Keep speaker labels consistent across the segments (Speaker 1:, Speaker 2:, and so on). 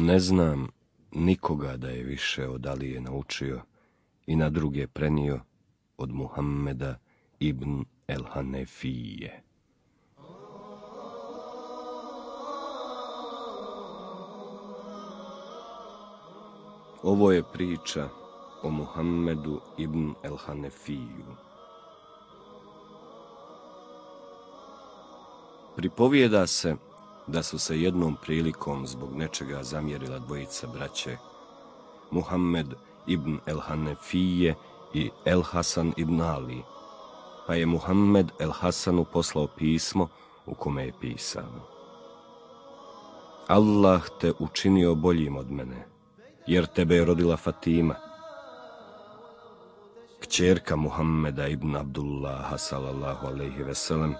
Speaker 1: Ne znam nikoga da je više od Alije naučio i na druge prenio od Muhammeda ibn el-Hanefije. Ovo je priča o Muhammedu ibn el-Hanefiju. Pripovijeda se da su se jednom prilikom zbog nečega zamjerila dvojica braće, Muhammed ibn el-Hanefije i el-Hasan ibn Ali, pa je Muhammed el-Hasanu poslao pismo u kome je pisano: Allah te učinio boljim od mene, jer tebe je rodila Fatima, kćerka Muhammeda ibn Abdullaha sallallahu alejhi ve sellem,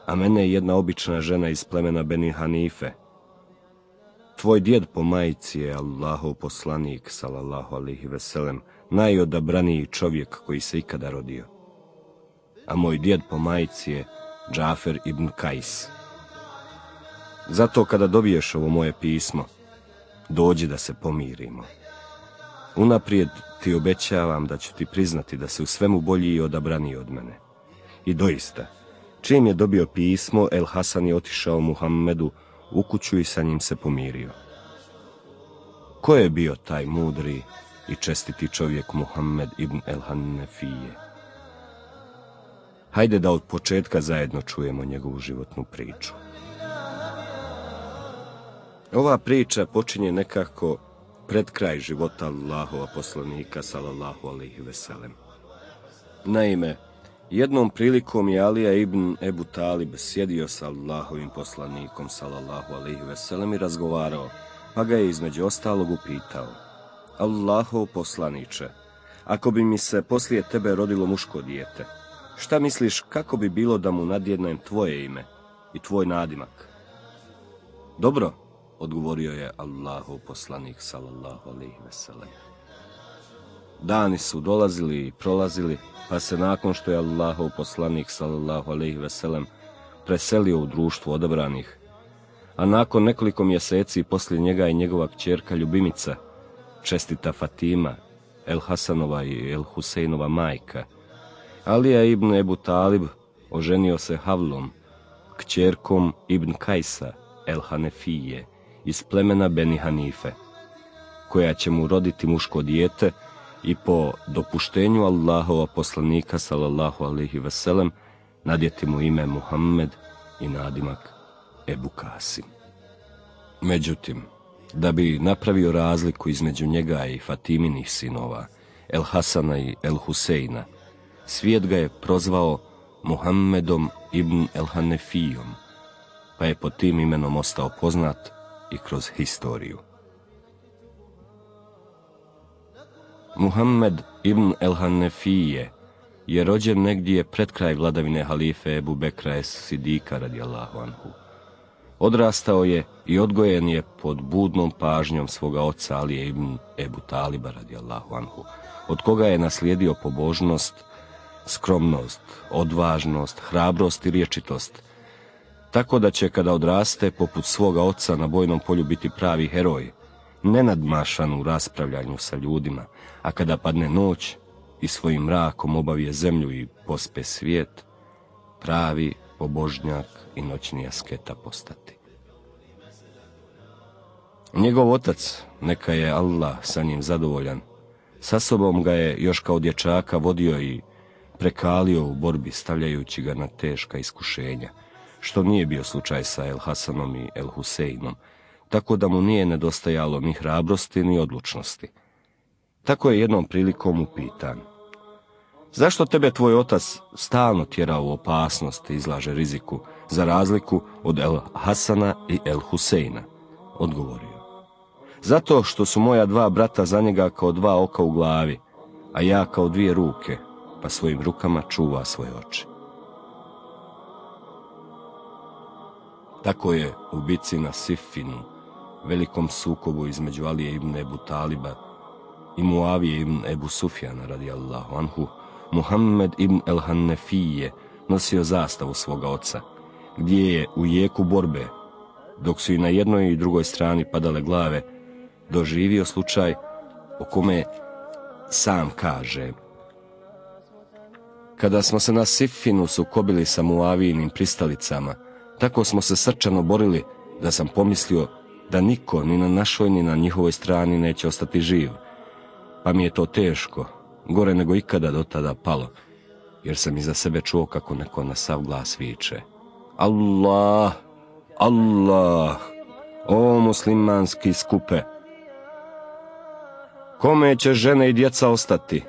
Speaker 1: a mene je jedna obična žena iz plemena Beni Hanife. Tvoj djed po majci je Allahov poslanik sallallahu alejhi ve sellem, najodabraniji čovjek koji se ikada rodio, a moj djed po majci je Džafer ibn Kajs. Zato kada dobiješ ovo moje pismo, dođi da se pomirimo. Unaprijed ti obećavam da ću ti priznati da si u svemu bolji i odabraniji od mene. I doista, čim je dobio pismo, El Hasan je otišao Muhammedu u kuću i sa njim se pomirio. Ko je bio taj mudri i čestiti čovjek Muhammed ibn el-Hanefije? Hajde da od početka zajedno čujemo njegovu životnu priču. Ova priča počinje nekako pred kraj života Allahova poslanika sallallahu alejhi ve sellem. Naime, jednom prilikom je Alija ibn Ebu Talib sjedio sa Allahovim poslanikom sallallahu alejhi ve sellem i razgovarao, pa ga je između ostalog upitao: Allahov poslaniče, ako bi mi se poslije tebe rodilo muško dijete, šta misliš kako bi bilo da mu nadjednem tvoje ime i tvoj nadimak? Dobro, odgovorio je Allahov poslanik sallallahu alejhi ve sellem. Dani su dolazili i prolazili, pa se nakon što je Allahov poslanik sallallahu alejhi ve sellem preselio u društvo odabranih, a nakon nekoliko mjeseci poslije njega i njegova kćerka ljubimica, čestita Fatima, El Hasanova i El Husejnova majka, Alija ibn Ebu Talib oženio se Havlom, kćerkom ibn Kajsa El Hanefije iz plemena Beni Hanife, koja će mu roditi muško dijete i po dopuštenju Allahova poslanika sallallahu alejhi ve sellem nadjeti mu ime Muhammed i nadimak Ebu Kasim. Međutim, da bi napravio razliku između njega i Fatiminih sinova, El Hasana i El Husejna, svijet ga je prozvao Muhammedom ibn el-Hanefijom, pa je pod tim imenom ostao poznat i kroz historiju. Muhammed ibn el-Hanefije je rođen negdje pred kraj vladavine halife Ebu Bekra es-Sidika radijallahu anhu. Odrastao je i odgojen je pod budnom pažnjom svoga oca Alije ibn Ebu Taliba radijallahu anhu, od koga je naslijedio pobožnost, skromnost, odvažnost, hrabrost i rječitost, tako da će kada odraste poput svoga oca na bojnom polju biti pravi heroj, nenadmašan u raspravljanju sa ljudima, a kada padne noć i svojim mrakom obavije zemlju i pospe svijet, pravi pobožnjak i noćni asketa postati. Njegov otac, neka je Allah sa njim zadovoljan, sa sobom ga je još kao dječaka vodio i prekalio u borbi, stavljajući ga na teška iskušenja, što nije bio slučaj sa El Hasanom i El Husejnom, tako da mu nije nedostajalo ni hrabrosti ni odlučnosti. Tako je jednom prilikom upitan: zašto tebe tvoj otac stalno tjera u opasnost i izlaže riziku, za razliku od El Hasana i El Husejna? Odgovorio: zato što su moja dva brata za njega kao dva oka u glavi, a ja kao dvije ruke, pa svojim rukama čuva svoje oči. Tako je u bici na Siffinu, velikom sukobu između Alije ibn Ebu Taliba i Muavije ibn Ebu Sufjana radijallahu anhu, Muhammed ibn el-Hanefije nosio zastavu svoga oca, gdje je u jeku borbe, dok su i na jednoj i drugoj strani padale glave, doživio slučaj o kome sam kaže: kada smo se na Siffinu sukobili sa Muavijinim pristalicama, tako smo se srčano borili da sam pomislio da niko ni na našoj ni na njihovoj strani neće ostati živ. Pa mi je to teško, gore nego ikada do tada palo, jer sam iza sebe čuo kako neko na sav glas viče: Allah, Allah, o muslimanski skupe! Kome će žene i djeca ostati?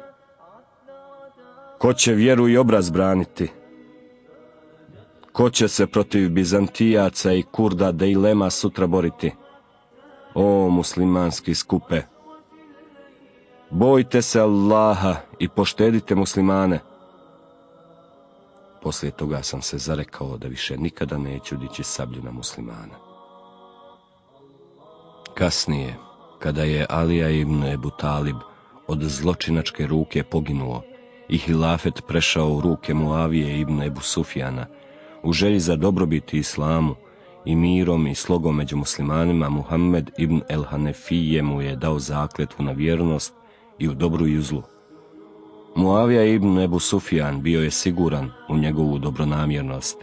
Speaker 1: Ko će vjeru i obraz braniti? Ko će se protiv Bizantijaca i Kurda Dejlema sutra boriti? O muslimanski skupe! Bojte se Allaha i poštedite muslimane. Poslije toga sam se zarekao da više nikada neću dići sablju na muslimana. Kasnije, kada je Alija ibn Ebu Talib od zločinačke ruke poginuo i hilafet prešao u ruke Muavije ibn Ebu Sufjana, u želji za dobrobiti islamu i mirom i slogom među muslimanima, Muhammed ibn el-Hanefije mu je dao zakletvu na vjernost i u dobru i u zlu. Muavija ibn Ebu Sufjan bio je siguran u njegovu dobronamjernost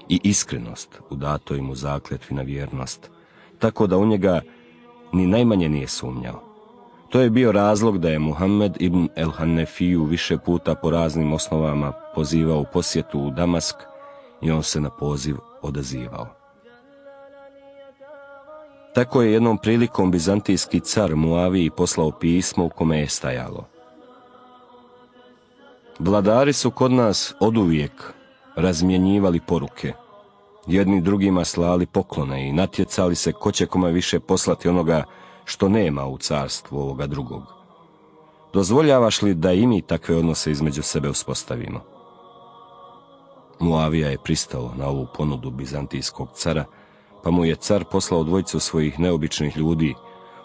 Speaker 1: i iskrenost u datoj mu zakletvi na vjernost, tako da u njega ni najmanje nije sumnjao. To je bio razlog da je Muhammed ibn el-Hanefiju više puta po raznim osnovama pozivao u posjetu u Damask i on se na poziv odazivao. Tako je jednom prilikom bizantijski car Muaviji poslao pismo u kome je stajalo: vladari su kod nas oduvijek razmjenjivali poruke, jedni drugima slali poklone i natjecali se ko će kome više poslati onoga što nema u carstvu ovoga drugog. Dozvoljavaš li da i mi takve odnose između sebe uspostavimo? Muavija je pristao na ovu ponudu bizantijskog cara, pa mu je car poslao dvojicu svojih neobičnih ljudi,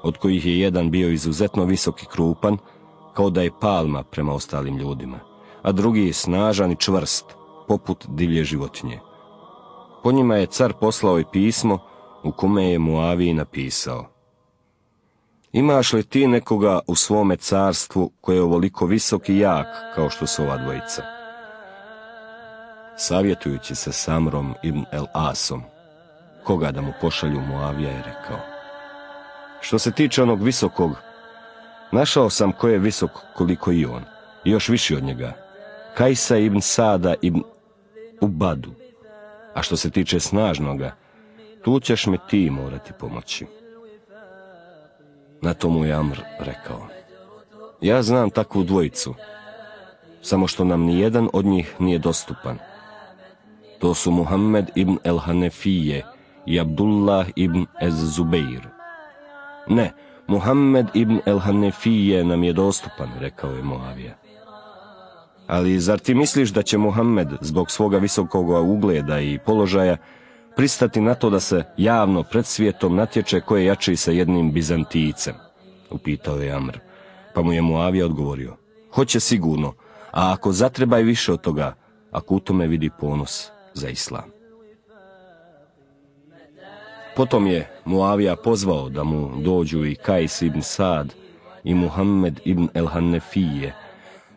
Speaker 1: od kojih je jedan bio izuzetno visok i krupan, kao da je palma prema ostalim ljudima, a drugi snažan i čvrst, poput divlje životinje. Po njima je car poslao i pismo u kome je Muaviji napisao: imaš li ti nekoga u svome carstvu koji je ovoliko visok i jak kao što su ova dvojica? Savjetujući se s Amrom ibn el-Asom, koga da mu pošalju, Muavija je rekao: što se tiče onog visokog, našao sam ko je visok koliko i on, i još viši od njega, Kajsa ibn Sada ibn Ubadu. A što se tiče snažnoga, tu ćeš mi ti morati pomoći. Na to mu je Amr rekao: ja znam takvu dvojicu, samo što nam nijedan od njih nije dostupan. To su Muhammed ibn el-Hanefije i Abdullah ibn ez-Zubeir. Ne, Muhammed ibn el-Hanefije nam je dostupan, rekao je Muavija. Ali zar ti misliš da će Muhammed zbog svoga visokog ugleda i položaja pristati na to da se javno pred svijetom natječe ko je jači sa jednim Bizantijcem? Upitao je Amr, pa mu je Muavija odgovorio: hoće sigurno, a ako zatreba i više od toga, ako u tome vidi ponos za islam. Potom je Muavija pozvao da mu dođu i Kajs ibn Sad i Muhammed ibn el-Hanefije,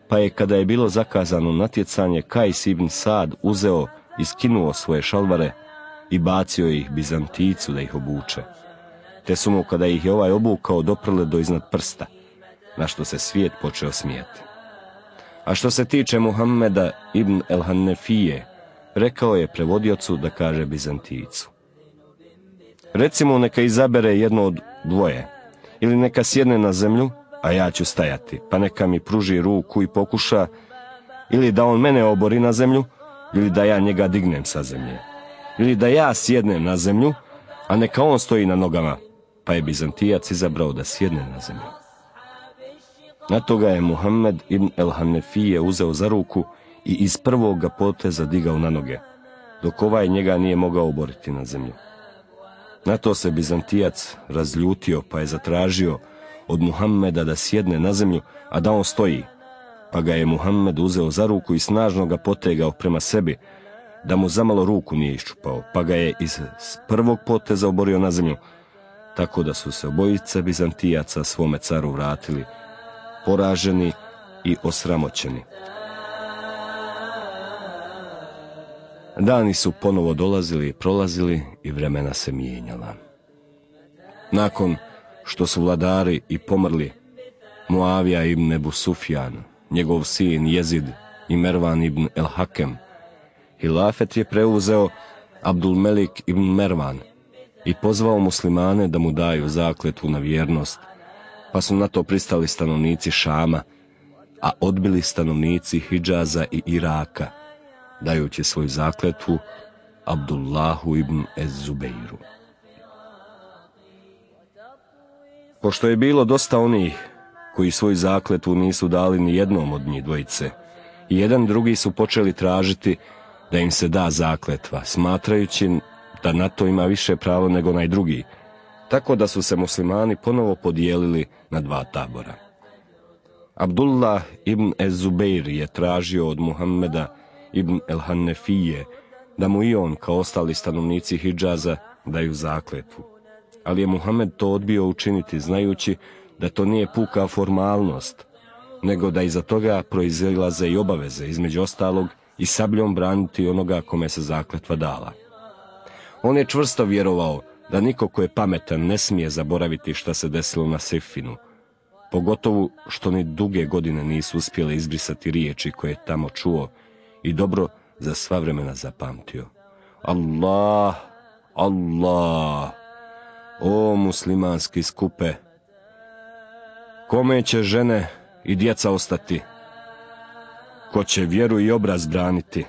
Speaker 1: pa je, kada je bilo zakazano natjecanje, Kajs ibn Sad uzeo i skinuo svoje šalvare i bacio ih Bizantijcu da ih obuče. Te su mu, kada ih je ovaj obukao, doprle do iznad prsta, na što se svijet počeo smijati. A što se tiče Muhammeda ibn el-Hanefije, rekao je prevodiocu da kaže Bizantijcu: recimo, neka izabere jedno od dvoje, ili neka sjedne na zemlju, a ja ću stajati, pa neka mi pruži ruku i pokuša, ili da on mene obori na zemlju, ili da ja njega dignem sa zemlje, ili da ja sjednem na zemlju, a neka on stoji na nogama, pa je Bizantijac izabrao da sjedne na zemlju. Na toga je Muhammed ibn el-Hanefije uzeo za ruku i iz prvoga poteza digao na noge, dok ovaj njega nije mogao oboriti na zemlju. Na to se Bizantijac razljutio, pa je zatražio od Muhammeda da sjedne na zemlju, a da on stoji, pa ga je Muhammed uzeo za ruku i snažno ga potegao prema sebi, da mu zamalo ruku nije iščupao, pa ga je iz prvog poteza oborio na zemlju, tako da su se obojice Bizantijaca svome caru vratili, poraženi i osramoćeni. Dani su ponovo dolazili i prolazili i vremena se mijenjala. Nakon što su vladari i pomrli Muavija ibn Ebu Sufjan, njegov sin Jezid i Mervan ibn el-Hakem, hilafet je preuzeo Abdulmelik ibn Mervan i pozvao muslimane da mu daju zakletvu na vjernost, pa su na to pristali stanovnici Šama, a odbili stanovnici Hidžaza i Iraka, dajući svoju zakletvu Abdullahu ibn Ez-Zubeiru. Pošto je bilo dosta onih koji svoju zakletvu nisu dali ni jednom od njih dvojice, i jedan drugi su počeli tražiti da im se da zakletva, smatrajući da na to ima više pravo nego onaj drugi, tako da su se muslimani ponovo podijelili na dva tabora. Abdullah ibn Ez-Zubeir je tražio od Muhammeda ibn el-Hanefije da mu i on, kao ostali stanovnici Hidžaza, daju zakletvu. Ali je Muhammed to odbio učiniti, znajući da to nije puka formalnost, nego da iza toga proizilaze i obaveze, između ostalog i sabljom braniti onoga kome se zakletva dala. On je čvrsto vjerovao da niko ko je pametan ne smije zaboraviti šta se desilo na Siffinu, pogotovo što ni duge godine nisu uspjele izbrisati riječi koje je tamo čuo i dobro za sva vremena zapamtio. Allah, Allah, o muslimanski skupe, kome će žene i djeca ostati? Ko će vjeru i obraz braniti?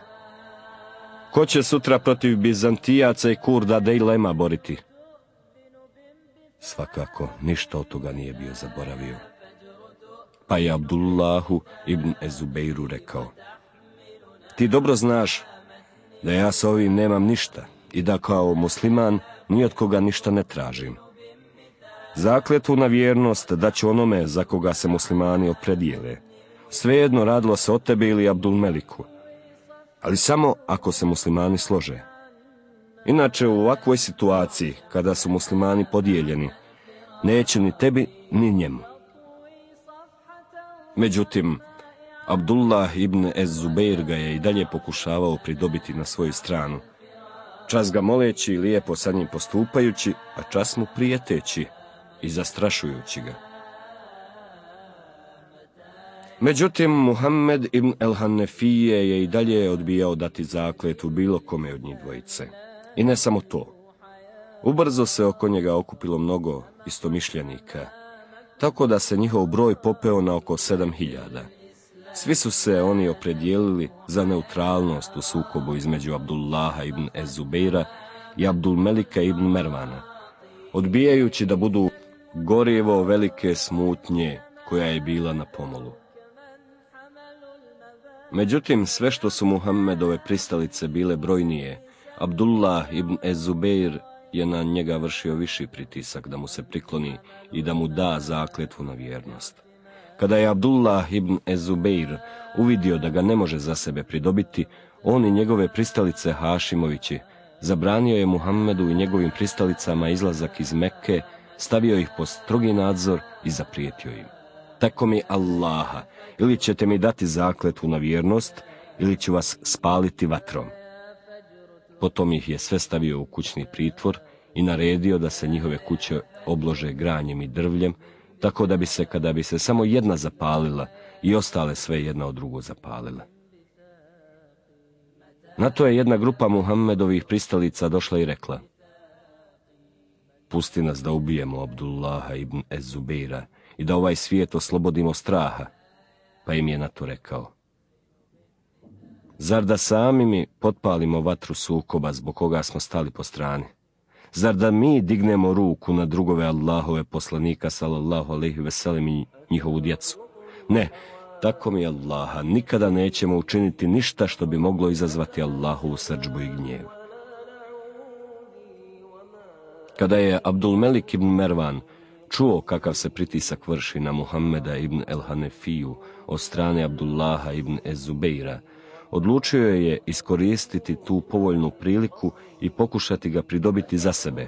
Speaker 1: Ko će sutra protiv Bizantijaca i Kurda Dejlema boriti? Svakako, ništa od toga nije bio zaboravio. Pa je Abdullahu ibn Ez-Zubeiru rekao: ti dobro znaš da ja s ovim nemam ništa i da kao musliman ni od koga ništa ne tražim. Zakletvu na vjernost daću onome za koga se muslimani opredijele. Svejedno radilo se o tebi ili Abdulmeliku, ali samo ako se muslimani slože. Inače, u ovakvoj situaciji, kada su muslimani podijeljeni, neće ni tebi ni njemu. Međutim, Abdullah ibn Ez-Zubeir ga je i dalje pokušavao pridobiti na svoju stranu, čas ga moleći i lijepo sa njim postupajući, a čas mu prijeteći i zastrašujući ga. Međutim, Muhammed ibn el-Hanefije je i dalje odbijao dati zakletvu bilo kome od njih dvojice. I ne samo to. Ubrzo se oko njega okupilo mnogo istomišljenika, tako da se njihov broj popeo na oko 7000. Svi su se oni opredijelili za neutralnost u sukobu između Abdullaha ibn Ez-Zubeira i Abdulmelika ibn Mervana, odbijajući da budu gorivo velike smutnje koja je bila na pomolu. Međutim, sve što su Muhammedove pristalice bile brojnije, Abdullah ibn Ez-Zubeir je na njega vršio viši pritisak da mu se prikloni i da mu da zakletvu na vjernost. Kada je Abdullah ibn Ez-Zubeir uvidio da ga ne može za sebe pridobiti, on i njegove pristalice Hašimovići zabranio je Muhammedu i njegovim pristalicama izlazak iz Mekke, stavio ih pod strogi nadzor i zaprijetio im: tako mi Allaha, ili ćete mi dati zakletvu na vjernost, ili ću vas spaliti vatrom. Potom ih je sve stavio u kućni pritvor i naredio da se njihove kuće oblože granjem i drvljem, tako da bi se, kada bi se samo jedna zapalila, i ostale sve jedna od drugo zapalile. Na to je jedna grupa Muhammedovih pristalica došla i rekla: pusti nas da ubijemo Abdullaha ibn Ez-Zubeira i da ovaj svijet oslobodimo straha. Pa im je na to rekao: zar da sami mi potpalimo vatru sukoba zbog koga smo stali po strani? Zar da mi dignemo ruku na drugove Allahove poslanika sallallahu alejhi ve sellem i njihovu djecu? Ne, tako mi Allaha, nikada nećemo učiniti ništa što bi moglo izazvati Allahovu srdžbu i gnjev. Kada je Abdulmelik ibn Mervan čuo kakav se pritisak vrši na Muhammeda ibn el-Hanefiju od strane Abdullaha ibn Ez-Zubeira, odlučio je iskoristiti tu povoljnu priliku i pokušati ga pridobiti za sebe,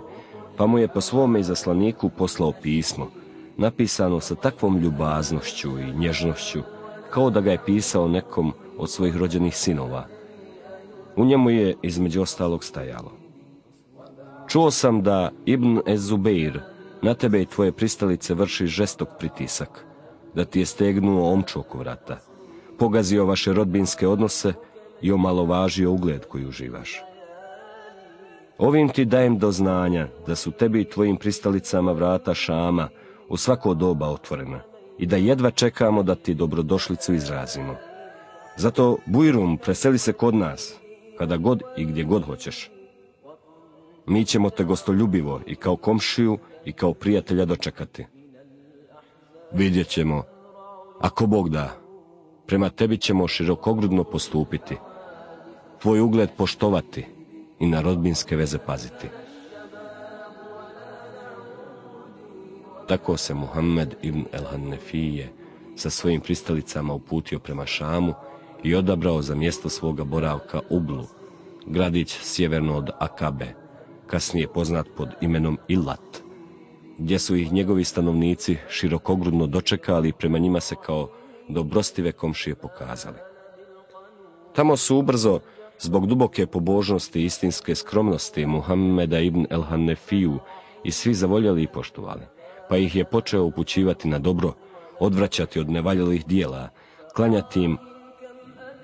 Speaker 1: pa mu je po svome izaslaniku poslao pismo, napisano sa takvom ljubaznošću i nježnošću, kao da ga je pisao nekom od svojih rođenih sinova. U njemu je između ostalog stajalo: čuo sam da Ibn Ez-Zubeir na tebe i tvoje pristalice vrši žestok pritisak, da ti je stegnuo omču oko vrata, pogazio vaše rodbinske odnose i omalovažio ugled koji uživaš. Ovim ti dajem do znanja da su tebi i tvojim pristalicama vrata Šama u svako doba otvorena i da jedva čekamo da ti dobrodošlicu izrazimo. Zato, Bujrum, preseli se kod nas, kada god i gdje god hoćeš. Mi ćemo te gostoljubivo i kao komšiju i kao prijatelja dočekati. Vidjet ćemo, ako Bog da, prema tebi ćemo širokogrudno postupiti, tvoj ugled poštovati i na rodbinske veze paziti. Tako se Muhammed ibn el-Hanefije sa svojim pristalicama uputio prema Šamu i odabrao za mjesto svoga boravka Ublu, gradić sjeverno od Akabe, kasnije poznat pod imenom Ilat, gdje su ih njegovi stanovnici širokogrudno dočekali i prema njima se kao dobrostive komšije pokazali. Tamo su ubrzo, zbog duboke pobožnosti i istinske skromnosti Muhammeda ibn el-Hanefiju, i svi zavoljeli i poštovali, pa ih je počeo upućivati na dobro, odvraćati od nevaljalih dijela, klanjati im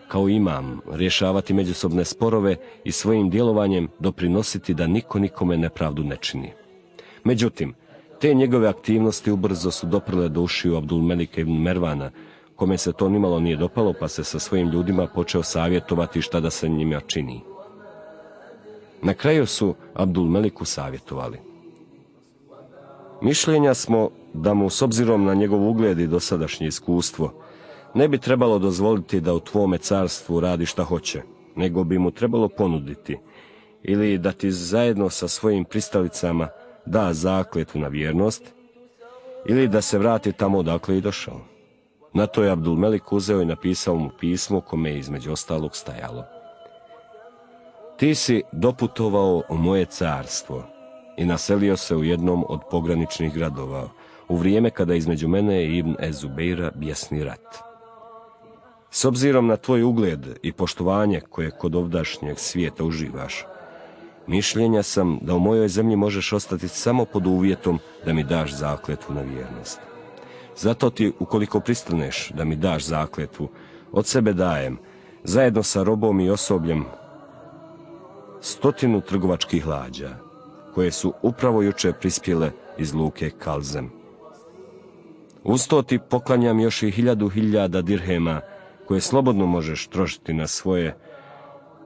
Speaker 1: kao imam, rješavati međusobne sporove i svojim djelovanjem doprinositi da niko nikome nepravdu ne čini. Međutim, te njegove aktivnosti ubrzo su doprle do ušiju Abdulmelika ibn Mervana, kome se to nimalo nije dopalo, pa se sa svojim ljudima počeo savjetovati šta da se njima čini. Na kraju su Abdulmeliku savjetovali: mišljenja smo da mu, s obzirom na njegov ugled i dosadašnje iskustvo, ne bi trebalo dozvoliti da u tvome carstvu radi šta hoće, nego bi mu trebalo ponuditi ili da ti zajedno sa svojim pristalicama da zakletvu na vjernost, ili da se vrati tamo odakle i došao. Na to je Abdulmelik uzeo i napisao mu pismo kome je između ostalog stajalo: ti si doputovao u moje carstvo i naselio se u jednom od pograničnih gradova u vrijeme kada između mene i Ibn Ez-Zubeira bjesni rat. S obzirom na tvoj ugled i poštovanje koje kod ovdašnjeg svijeta uživaš, mišljenja sam da u mojoj zemlji možeš ostati samo pod uvjetom da mi daš zakletvu na vjernost. Zato ti, ukoliko pristaneš da mi daš zakletvu, od sebe dajem, zajedno sa robom i osobljem, 100 trgovačkih lađa, koje su upravo jučer prispjele iz luke Kalzem. Uz to ti poklanjam još i 1000 dirhema, koje slobodno možeš trošiti na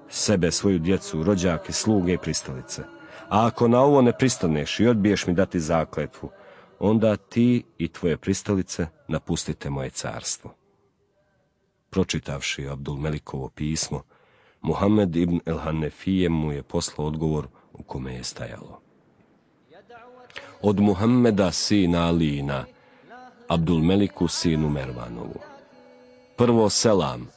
Speaker 1: sebe, svoju djecu, rođake, sluge i pristalice. A ako na ovo ne pristaneš i odbiješ mi dati zakletvu, onda ti i tvoje pristalice napustite moje carstvo. Pročitavši Abdulmelikovo pismo, Muhammed ibn el-Hanefije mu je poslao odgovor u kome je stajalo: od Muhammeda sina Alijina, Abdulmeliku sinu Mervanovu. Prvo selam,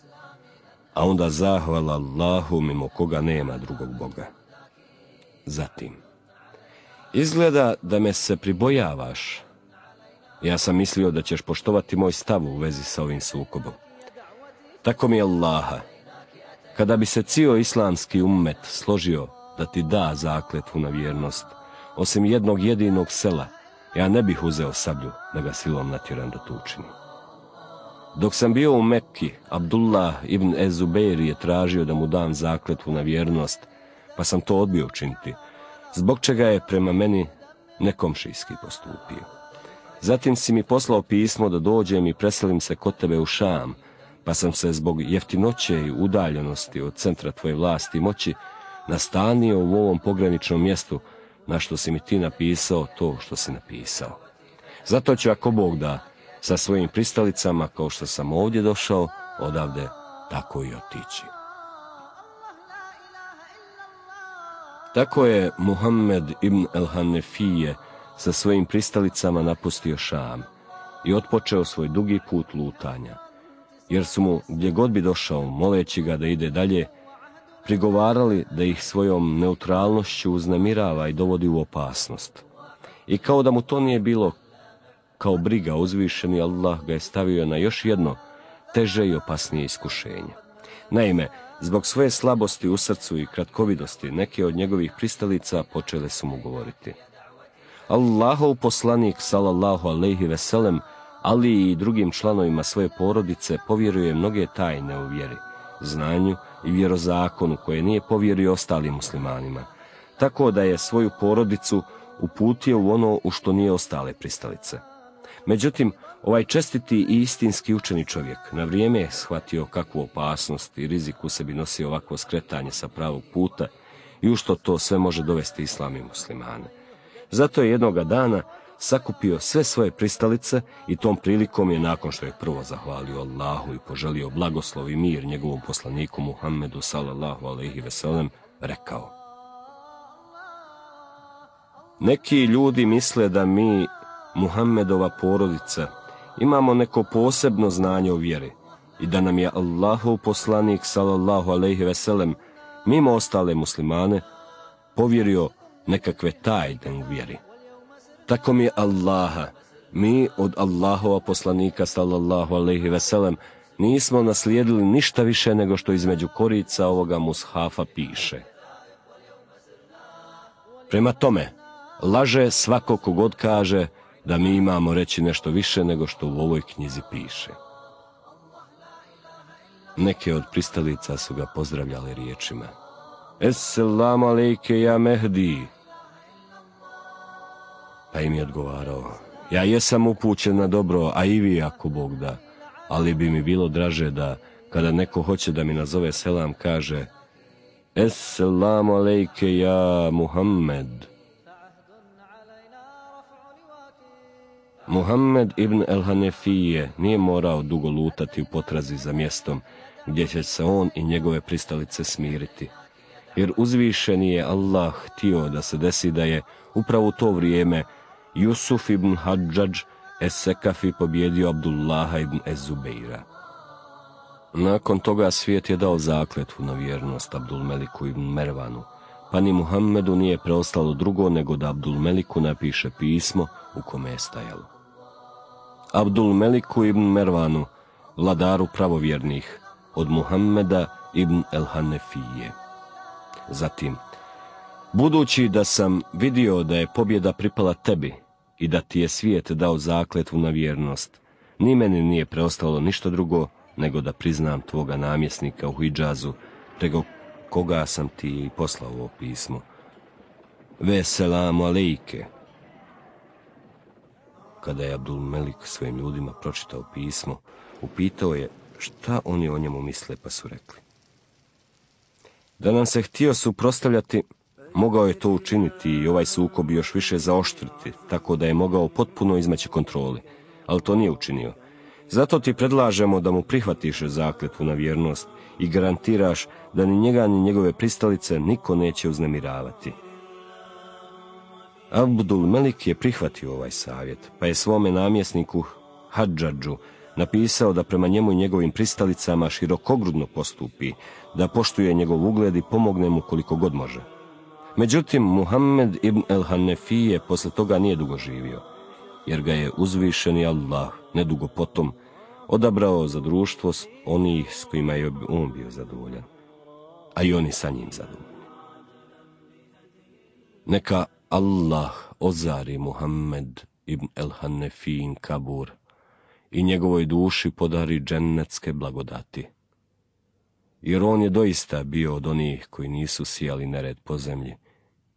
Speaker 1: a onda zahvala Allahu mimo koga nema drugog Boga. Zatim, izgleda da me se pribojavaš. Ja sam mislio da ćeš poštovati moj stav u vezi sa ovim sukobom. Tako mi je Allaha, kada bi se cijeli islamski ummet složio da ti da zakletvu na vjernost, osim jednog jedinog sela, ja ne bih uzeo sablju da ga silom natjeram da to učini. Dok sam bio u Mekki, Abdullah ibn Ez-Zubeir je tražio da mu dam zakletvu na vjernost, pa sam to odbio učiniti, zbog čega je prema meni nekomšijski postupio. Zatim si mi poslao pismo da dođem i preselim se kod tebe u Šam, pa sam se zbog jeftinoće i udaljenosti od centra tvoje vlasti i moći nastanio u ovom pograničnom mjestu, na što si mi ti napisao to što si napisao. Zato ću, ako Bog da, sa svojim pristalicama, kao što sam ovdje došao, odavde tako i otići. Tako je Muhammed ibn el-Hanefije sa svojim pristalicama napustio Šam i otpočeo svoj dugi put lutanja, jer su mu, gdje god bi došao, moleći ga da ide dalje, prigovarali da ih svojom neutralnošću uznemirava i dovodi u opasnost. I kao da mu to nije bilo kao briga, uzvišeni Allah ga je stavio na još jedno teže i opasnije iskušenje. Naime, zbog svoje slabosti u srcu i kratkovidosti, neke od njegovih pristalica počele su mu govoriti: Allahov poslanik, salallahu alejhi ve sellem, ali i drugim članovima svoje porodice povjeruje mnoge tajne u vjeri, znanju i vjerozakonu koje nije povjerio ostalim muslimanima, tako da je svoju porodicu uputio u ono u što nije ostale pristalice. Međutim, ovaj čestiti i istinski učeni čovjek na vrijeme je shvatio kakvu opasnost i rizik u sebi nosi ovakvo skretanje sa pravog puta i u što to sve može dovesti islam i muslimane. Zato je jednoga dana sakupio sve svoje pristalice i tom prilikom je, nakon što je prvo zahvalio Allahu i poželio blagoslov i mir njegovom poslaniku Muhammedu sallallahu alejhi ve sellem, rekao: Neki ljudi misle da mi, Muhammedova porodica, imamo neko posebno znanje o vjeri i da nam je Allahov poslanik sallallahu alejhi ve sellem mimo ostale muslimane povjerio nekakve tajne u vjeri. Tako mi je Allaha, mi od Allahova poslanika sallallahu alejhi ve sellem nismo naslijedili ništa više nego što između korica ovoga mushafa piše. Prema tome, laže svako kogod kaže da mi imamo reći nešto više nego što u ovoj knjizi piše. Neke od pristalica su ga pozdravljali riječima: Esselamu alejke ja Mehdi. Pa im je odgovarao: Ja jesam upućen na dobro, a i vi ako Bog da, ali bi mi bilo draže da kada neko hoće da mi nazove selam kaže: Esselamu alejke ja Muhammed. Muhammed ibn el-Hanefije nije morao dugo lutati u potrazi za mjestom gdje će se on i njegove pristalice smiriti, jer uzvišeni je Allah htio da se desi da je upravo u to vrijeme Jusuf ibn Hadžadž es-Sekafi pobjedio Abdullaha ibn ez-Zubeira. Nakon toga svijet je dao zakletvu na vjernost Abdulmeliku ibn Mervanu, pa ni Muhammedu nije preostalo drugo nego da Abdulmeliku napiše pismo u kome je stajalo: Abdulmeliku ibn Mervanu, vladaru pravovjernih, od Muhammeda ibn el-Hanefije. Zatim: Budući da sam vidio da je pobjeda pripala tebi i da ti je svijet dao zakletvu na vjernost, ni meni nije preostalo ništa drugo nego da priznam tvoga namjesnika u Hidžazu, preko koga sam ti poslao ovo pismo. Veselamu alejke. Kada je Abdulmelik svojim ljudima pročitao pismo, upitao je šta oni o njemu misle, pa su rekli: Da nam se htio suprotstavljati, mogao je to učiniti i ovaj sukob još više zaoštriti, tako da je mogao potpuno izmaći kontroli, ali to nije učinio. Zato ti predlažemo da mu prihvatiš zakletvu na vjernost i garantiraš da ni njega ni njegove pristalice niko neće uznemiravati. Abdulmelik je prihvatio ovaj savjet, pa je svome namjesniku Hadžadžu napisao da prema njemu i njegovim pristalicama širokogrudno postupi, da poštuje njegov ugled i pomogne mu koliko god može. Međutim, Muhammed ibn el-Hanefije posle toga nije dugo živio, jer ga je uzvišeni Allah nedugo potom odabrao za društvo onih s kojima je on bio zadovoljan, a i oni sa njim zadovoljni. Neka Allah ozari Muhammed ibn el-Hanefijin kabur i njegovoj duši podari džennetske blagodati, jer on je doista bio od onih koji nisu sijali nered po zemlji,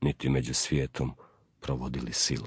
Speaker 1: niti među svijetom provodili silu.